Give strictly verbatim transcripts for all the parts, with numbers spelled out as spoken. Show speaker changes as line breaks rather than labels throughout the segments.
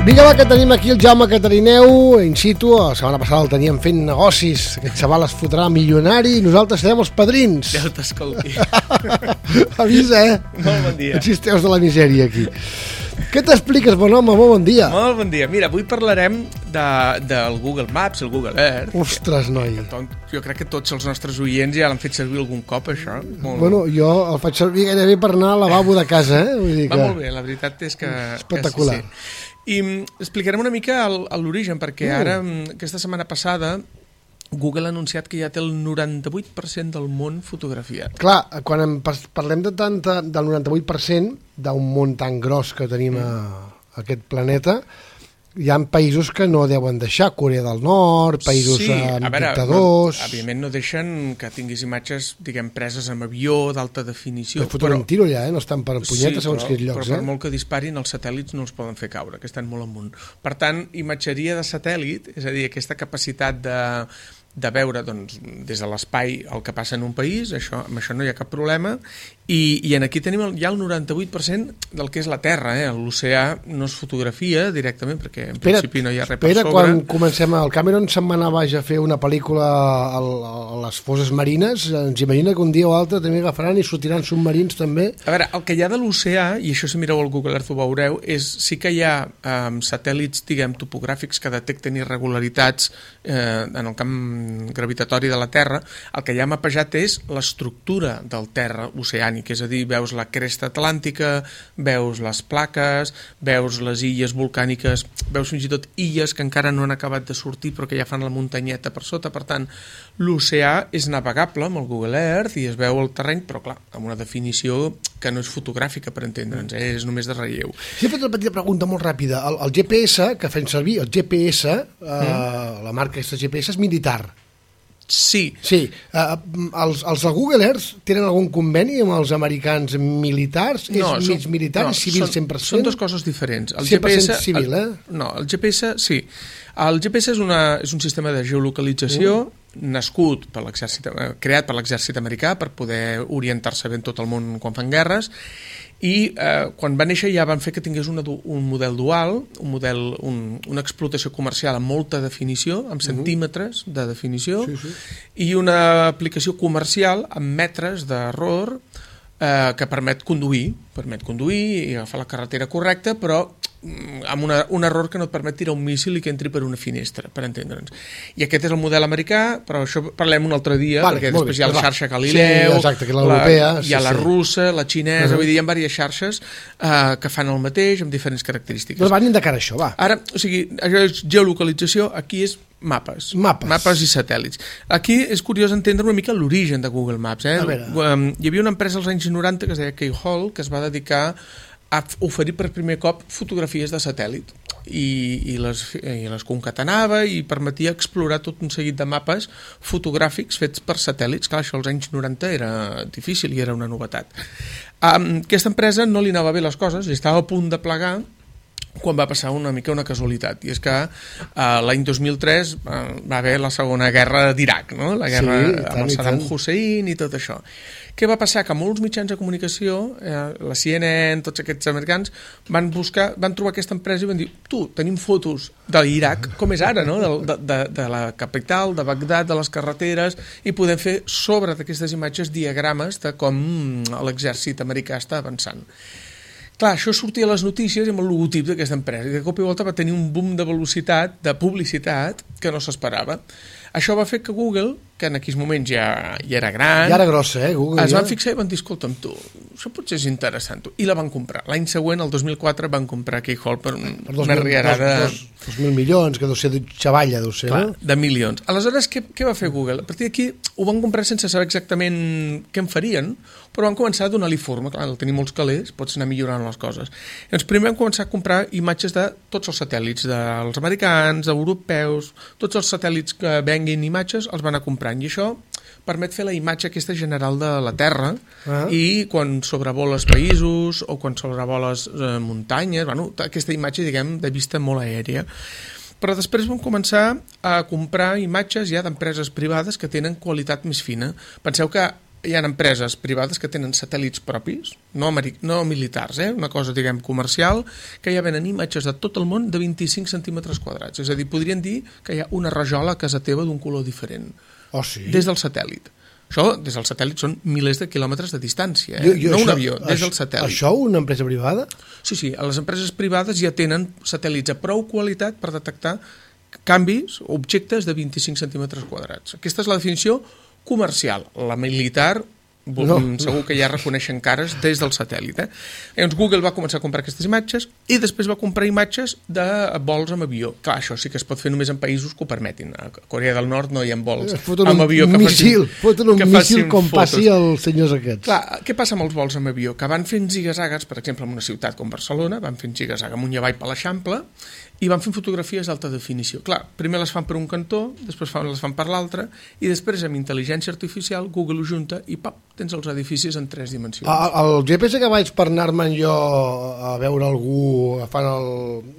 Vinga, va, que tenim aquí el Jaume Catarineu, in situ. La setmana passada el teníem fent negocis. Aquest xaval es fotrà milionari i nosaltres serem els padrins.
Ja t'escolti.
Avisa, eh?
Molt bon dia.
Existeus de la misèria, aquí. Què t'expliques, bon home? Molt bon dia.
Molt bon dia. Mira, avui parlarem de, del Google Maps, el Google Earth.
Ostres, noi.
Jo crec que tots els nostres oients ja l'han fet servir algun cop, això. Molt...
Bueno, jo el faig servir gairebé per anar al lavabo de casa, eh? Vull dir que...
Va molt bé, la veritat és que...
Espectacular.
Que sí, sí. I explicarem una mica l'origen, perquè
uh.
ara, aquesta setmana passada, Google ha anunciat que ja té el noranta-vuit per cent del món fotografiat.
Clar, quan en parlem de tanta, del noranta-vuit per cent d'un món tan gros que tenim a, a aquest planeta, hi ha països que no deuen deixar, Corea del Nord, països
sí,
amb
a veure,
dictadors...
No, evidentment no deixen que tinguis imatges, diguem, preses amb avió, d'alta definició.
Per fotre un tiro allà, eh? No estan per punyetes
sí,
segons
però,
quins llocs.
Però per
eh?
molt que disparin, els satèl·lits no els poden fer caure, que estan molt amunt. Per tant, imatgeria de satèl·lit, és a dir, aquesta capacitat de... de veure doncs, des de l'espai el que passa en un país, això, amb això no hi ha cap problema, i, i en aquí tenim el, ja el noranta-vuit per cent del que és la Terra, eh? L'oceà no es fotografia directament, perquè en espera, principi no hi ha res per sobre.
Espera, quan comencem, el Cameron se'n va anar baix a fer una pel·lícula a, a les fosses marines, ens imagina que un dia o altre també agafaran i sortiran submarins també.
A veure, el que hi ha de l'oceà, i això si mireu al Google Earth ho veureu, és sí que hi ha um, satèl·lits, diguem, topogràfics que detecten irregularitats eh, en el camp gravitatori de la Terra. El que ja ha mapejat és l'estructura del terra oceànic, és a dir, veus la cresta atlàntica, veus les plaques, veus les illes volcàniques, veus fins i tot illes que encara no han acabat de sortir però que ja fan la muntanyeta per sota. Per tant, l'oceà és navegable amb el Google Earth i es veu el terreny, però clar, amb una definició que no és fotogràfica, per entendre'ns, eh? És només de relleu.
Sí, he fet una petita pregunta molt ràpida. El, el G P S que fem servir, el G P S, eh, mm. la marca aquesta G P S és militar.
Sí.
Sí. Uh, els, els de Google Earth tenen algun conveni amb els americans militars?
No,
és mig militar
no,
i civil
són,
cent per cent?
Són dues coses diferents. El
cent per cent
G P S,
civil, eh?
El, no, el G P S, sí. El G P S és, una, és un sistema de geolocalització uh. nascut per l'exèrcit, creat per l'exèrcit americà per poder orientar-se bé en tot el món quan fan guerres, i eh, quan va néixer ja van fer que tingués una, un model dual, un model, un, una explotació comercial amb molta definició, amb centímetres de definició,
sí, sí.
i una aplicació comercial amb metres d'error eh, que permet conduir, permet conduir i agafar la carretera correcta, però amb una, un error que no et permet tirar un míssil i que entri per una finestra, per entendre'ns. I aquest és el model americà, però això parlem un altre dia, vale, perquè després bé, hi ha la xarxa Galileu,
sí, exacte, que l'europea,
la, hi ha
sí,
la
sí.
russa, la xinesa, uh -huh. vull dir, hi ha diverses xarxes uh, que fan el mateix amb diferents característiques.
Doncs anem de cara a això, va.
Ara, o sigui, això és geolocalització, aquí és mapes,
mapes,
mapes i satèl·lits. Aquí és curiós entendre una mica l'origen de Google Maps. Eh? Hi havia una empresa als anys noranta que es deia Keyhole, que es va dedicar a oferir per primer cop fotografies de satèl·lit i, i, les, i les concatenava i permetia explorar tot un seguit de mapes fotogràfics fets per satèl·lits. Clar, això als anys noranta era difícil i era una novetat. Um, aquesta empresa no li anava bé les coses i estava a punt de plegar quan va passar una mica una casualitat, i és que uh, l'any dos mil tres uh, va haver la segona guerra d'Iraq, no? La guerra sí, tant, amb el Saddam Hussein i tot això. Què va passar? Que molts mitjans de comunicació, eh, la C N N, tots aquests americans, van buscar, van trobar aquesta empresa i van dir, tu, tenim fotos de l'Iraq, com és ara, no? de, de, de la capital, de Bagdad, de les carreteres, i podem fer sobre d'aquestes imatges diagrames de com l'exèrcit americà està avançant. Clar, això sortia a les notícies amb el logotip d'aquesta empresa, i de cop i volta va tenir un boom de velocitat, de publicitat, que no s'esperava. Això va fer que Google, que en aquells moments ja, ja era gran...
Ja era grossa, eh, Google.
Es
ja.
van fixar i van dir, escolta'm, tu, això potser és interessant, tu. I la van comprar. L'any següent, el dos mil quatre, van comprar Keyhole per, un, per una riarada...
Dos, dos, dos mil milions, que deu ser de xavalla, deu ser,
clar,
no?
de milions. Aleshores, què, què va fer Google? A partir d'aquí ho van comprar sense saber exactament què en farien, però van començar a donar-li forma. Clar, al tenir molts calés, pots anar millorant les coses. Llavors, primer vam començar a comprar imatges de tots els satèl·lits, dels americans, europeus, tots els satèl·lits que venguin imatges els van anar comprant, i això permet fer la imatge aquesta general de la Terra, ah. i quan sobrevoles països o quan sobrevoles eh, muntanyes, bueno, aquesta imatge, diguem, de vista molt aèria. Però després vam començar a comprar imatges ja d'empreses privades que tenen qualitat més fina. Penseu que hi ha empreses privades que tenen satèl·lits propis, no, no militars, eh? Una cosa, diguem, comercial, que ja venen imatges de tot el món de vint-i-cinc centímetres quadrats. És a dir, podrien dir que hi ha una rajola a casa teva d'un color diferent.
Oh, sí?
Des del satèl·lit. Això, des del satèl·lit, són milers de quilòmetres de distància, eh? Jo, jo, no això, un avió, des del satèl·lit.
Això una empresa privada?
Sí, sí, les empreses privades ja tenen satèl·lits a prou qualitat per detectar canvis, objectes de vint-i-cinc centímetres quadrats. Aquesta és la definició comercial. La militar, no, segur que ja reconeixen cares des del satèl·lit. Eh? Llavors Google va començar a comprar aquestes imatges i després va comprar imatges de vols amb avió. Clar, això sí que es pot fer només en països que ho permetin. A Corea del Nord no hi ha vols amb avió que
missil, facin, un que missil com fotos. Passi als senyors aquests.
Clar, què passa amb els vols amb avió? Que van fent ziga-zagues, per exemple, en una ciutat com Barcelona, van fent ziga-zaga amunt i avall per l'Eixample i van fent fotografies d'alta definició. Clar, primer les fan per un cantó, després fan, les fan per l'altre i després amb intel·ligència artificial Google ho junta i pap, tens els edificis en tres dimensions.
El, el G P S que vaig per anar-me'n jo a veure algú agafant el,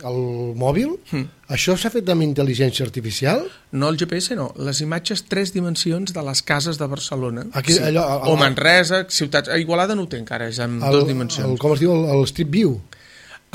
el mòbil, mm. això s'ha fet amb intel·ligència artificial?
No, el G P S no. Les imatges tres dimensions de les cases de Barcelona.
Aquí,
sí.
allò, el,
o Manresa, ciutats... A Igualada no ho té encara, és en
el,
dues dimensions.
El, com es diu? El, el Street View?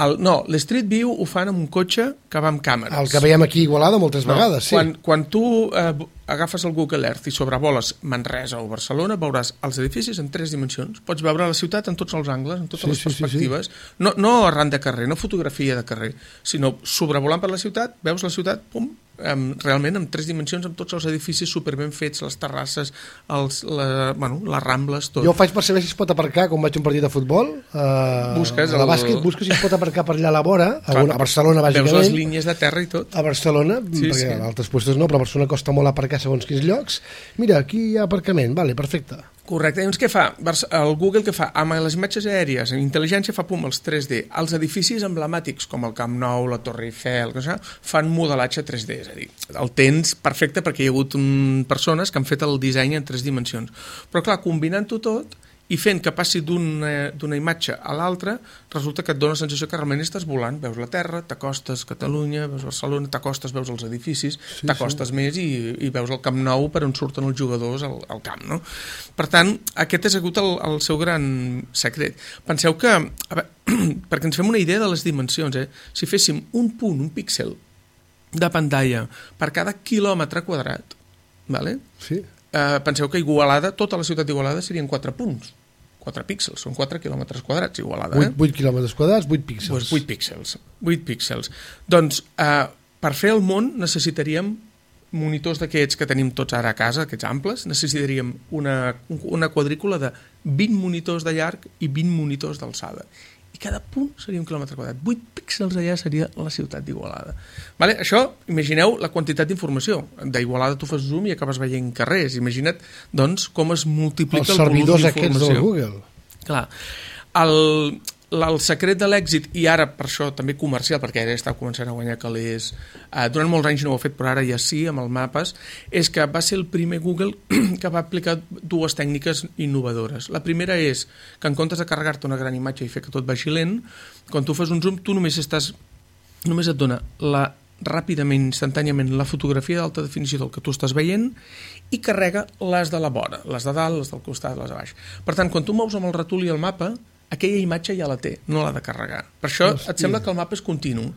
El, no, l'Street View ho fan amb un cotxe que va amb càmeres.
El que veiem aquí a Igualada moltes no, vegades, sí.
Quan, quan tu eh, agafes el Google Earth i sobrevoles Manresa o Barcelona, veuràs els edificis en tres dimensions. Pots veure la ciutat en tots els angles, en totes sí, les perspectives. Sí, sí. No, no arran de carrer, no fotografia de carrer, sinó sobrevolant per la ciutat, veus la ciutat, pum, Um, realment en tres dimensions, amb tots els edificis superben fets, les terrasses, els, la, bueno, les rambles, tot.
Jo ho faig per saber si es pot aparcar quan vaig a un partit de futbol, uh,
busques
a la bàsquet, el... busques si es pot aparcar per allà a la vora, a, una, a Barcelona bàsicament.
Veus les línies de terra i tot.
A Barcelona, sí, perquè sí. A altres puestos no, però a Barcelona costa molt aparcar segons quins llocs. Mira, aquí hi ha aparcament, vale, perfecte.
Correcte, doncs què fa? El Google què fa? Amb les imatges aèries, en intel·ligència fa pum els tres D. Els edificis emblemàtics, com el Camp Nou, la Torre Eiffel, que fan modelatge tres D, és a dir, el tens perfecte perquè hi ha hagut um, persones que han fet el disseny en tres dimensions. Però clar, combinant-ho tot i fent que passi d'una d'una imatge a l'altra, resulta que et dona la sensació que realment estàs volant. Veus la Terra, t'acostes Catalunya, veus Barcelona, t'acostes, veus els edificis, sí, t'acostes sí. més i, i veus el Camp Nou per on surten els jugadors al, al camp, no? Per tant, aquest ha sigut el, el seu gran secret. Penseu que, a veure, perquè ens fem una idea de les dimensions, eh? Si féssim un punt, un píxel de pantalla per cada quilòmetre quadrat, vale?
Sí.
Eh, penseu que Igualada, tota la ciutat d'Igualada serien quatre punts. quatre píxels, són quatre quilòmetres quadrats Igualada.
vuit, eh? vuit quilòmetres quadrats, vuit píxels.
Pues vuit píxels. vuit píxels. Doncs, eh, per fer el món necessitaríem monitors d'aquests que tenim tots ara a casa, aquests amples, necessitaríem una, una quadrícula de vint monitors de llarg i vint monitors d'alçada. I cada punt seria un quilòmetre quadrat. vuit píxels allà seria la ciutat d'Igualada. Vale? Això, imagineu la quantitat d'informació. D'Igualada tu fas zoom i acabes veient carrers. Imagina't, doncs, com es multiplica el volum d'informació.
Els servidors aquests del Google.
Clar. El, el secret de l'èxit, i ara per això també comercial, perquè ara està començant a guanyar calés, eh, durant molts anys no ho ha fet, però ara ja sí, amb els mapes, és que va ser el primer Google que va aplicar dues tècniques innovadores. La primera és que en comptes de carregar-te una gran imatge i fer que tot vagi lent, quan tu fas un zoom, tu només estàs, només et dona la, ràpidament, instantàniament, la fotografia d'alta definició del que tu estàs veient i carrega les de la vora, les de dalt, les del costat, les de baix. Per tant, quan tu mous amb el ratol i el mapa, aquella imatge ja la té, no l'ha de carregar. Per això Hòstia. Et sembla que el mapa és continu.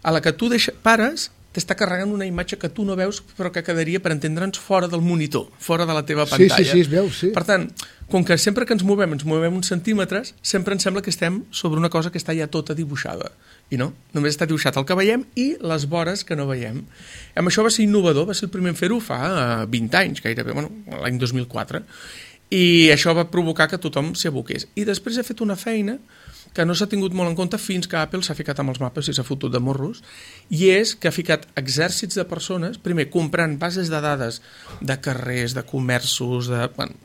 A la que tu deixa, pares, t'està carregant una imatge que tu no veus, però que quedaria, per entendre'ns, fora del monitor, fora de la teva pantalla.
Sí, sí, sí, es veu, sí.
Per tant, com que sempre que ens movem, ens movem uns centímetres, sempre ens sembla que estem sobre una cosa que està ja tota dibuixada. I no, només està dibuixat el que veiem i les vores que no veiem. Amb això va ser innovador, va ser el primer en fer-ho fa vint anys, gairebé, bueno, l'any dos mil quatre, i això va provocar que tothom s'hi aboqués. I després ha fet una feina que no s'ha tingut molt en compte fins que Apple s'ha ficat amb els mapes i s'ha fotut de morros, i és que ha ficat exèrcits de persones, primer comprant bases de dades de carrers, de comerços, de... Bueno,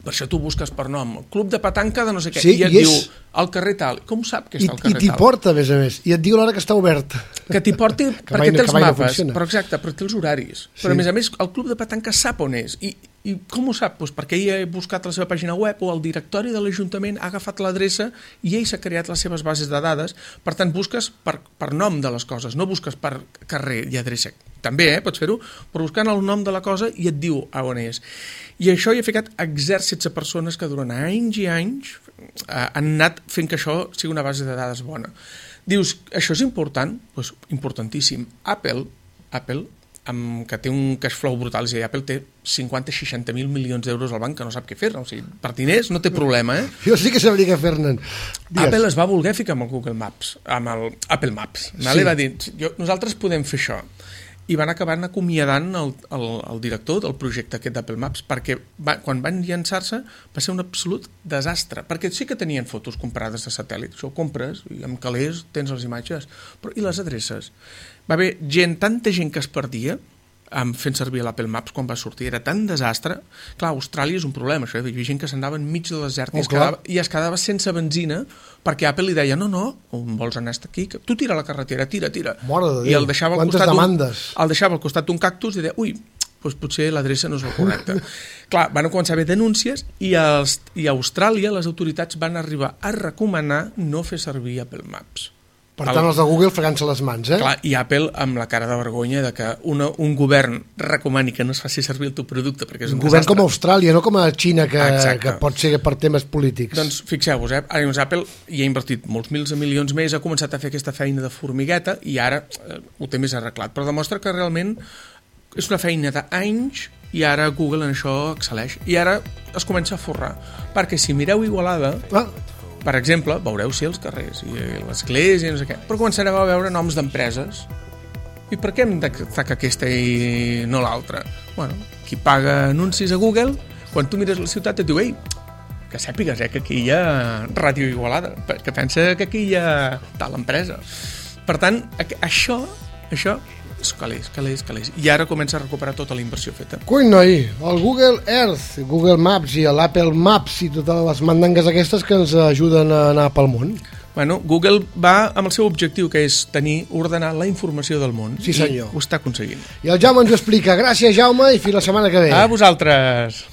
per això tu busques per nom, club de petanca de no sé què,
sí,
i et
i
diu
és...
al carrer tal. Com sap que està al carrer
tal? I t'hi porta, a més a més, i et diu l'hora que està obert.
Que t'hi porti perquè té els mapes, però exacte, però té els horaris. Sí. Però a més a més, el club de petanca sap on és. I, i com ho sap? Pues perquè ell ha buscat la seva pàgina web o el directori de l'Ajuntament ha agafat l'adreça i ell s'ha creat les seves bases de dades. Per tant, busques per, per nom de les coses, no busques per carrer i adreça. També, eh, pots fer-ho, però buscant el nom de la cosa i et diu a on és. I això hi ha ficat exèrcits de persones que durant anys i anys eh, han anat fent que això sigui una base de dades bona. Dius, això és important? Doncs importantíssim. Apple, Apple amb, que té un cash flow brutal, és a dir, Apple té cinquanta a seixanta mil milions d'euros al banc que no sap què fer-ne, o sigui, per diners no té problema, eh?
Jo sí que sabria què fer-ne.
Apple es va voler ficar amb el Google Maps, amb el Apple Maps, sí. Vale? Va dir, jo, nosaltres podem fer això, i van acabar acomiadant el, el, el director del projecte aquest d'Apple Maps, perquè va, quan van llançar-se va ser un absolut desastre, perquè sí que tenien fotos comprades de satèl·lit, això ho compres, i amb calés tens les imatges, però i les adreces? Va haver gent, tanta gent que es perdia um, fent servir l'Apple Maps quan va sortir, era tan desastre. Clar, Austràlia és un problema, això, hi havia gent que s'andava enmig de desert oh, i, es quedava, i es quedava sense benzina perquè Apple li deia, no, no, on vols anar aquí? Tu tira la carretera, tira, tira.
Mare de
I el deixava al
quantes demandes.
Un, el deixava al costat d'un cactus i deia, ui, doncs potser l'adreça no és la correcta. Clar, van començar a haver denúncies i, els, i a Austràlia les autoritats van arribar a recomanar no fer servir Apple Maps.
Per tant, els de Google fregant-se les mans, eh?
Clar, i Apple amb la cara de vergonya de que una, un govern recomani que no es faci servir el teu producte perquè és un,
un govern
desastre.
Com Austràlia, no com a Xina, que, que pot ser per temes polítics.
Doncs fixeu-vos, eh? Ara, Apple hi ha invertit molts mils de milions més, ha començat a fer aquesta feina de formigueta i ara eh, ho té més arreglat, però demostra que realment és una feina d'anys i ara Google en això excel·leix. I ara es comença a forrar, perquè si mireu Igualada... Ah. Per exemple, veureu sí els carrers i l'església i no sé què, però començareu a veure noms d'empreses. I per què hem d'agafar aquesta i no l'altra? Bueno, qui paga anuncis a Google, quan tu mires la ciutat et diu, ei, que sàpigues eh, que aquí hi ha Ràdio Igualada, que pensa que aquí hi ha tal empresa. Per tant, això, això és calés, calés, calés. I ara comença a recuperar tota la inversió feta.
Coi, noi, el Google Earth, Google Maps i l'Apple Maps i totes les mandangues aquestes que ens ajuden a anar pel món.
Bueno, Google va amb el seu objectiu, que és tenir, ordenar la informació del món.
Sí, senyor.
I ho està aconseguint.
I el Jaume ens ho explica. Gràcies, Jaume, i fins la setmana que ve.
A vosaltres.